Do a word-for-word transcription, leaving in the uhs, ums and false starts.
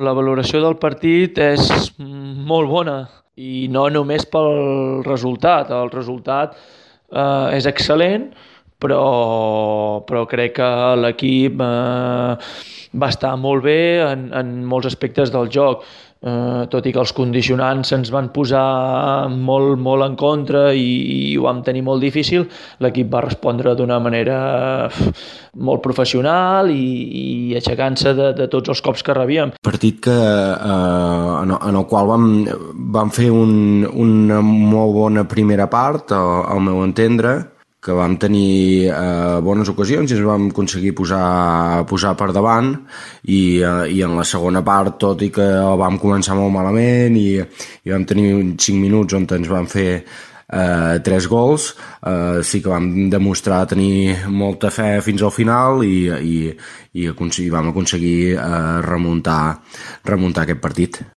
La valoració del partit és molt bona i no només pel resultat. El resultat eh, és excel·lent, però, però crec que l'equip eh, va estar molt bé en, en molts aspectes del joc. Eh, tot i que els condicionants se'ns van posar molt, molt en contra i, i ho vam tenir molt difícil, l'equip va respondre d'una manera molt professional i, i aixecant-se de, de tots els cops que rebíem. Partit que, eh, en, en el qual vam, vam fer un, una molt bona primera part, al, al meu entendre, que vam tenir eh, bones ocasions i ens vam aconseguir posar, posar per davant i, eh, i en la segona part, tot i que vam començar molt malament i, i vam tenir cinc minuts on ens van fer eh, tres gols, eh, sí que vam demostrar tenir molta fe fins al final i, i, i, i vam aconseguir eh, remuntar, remuntar aquest partit.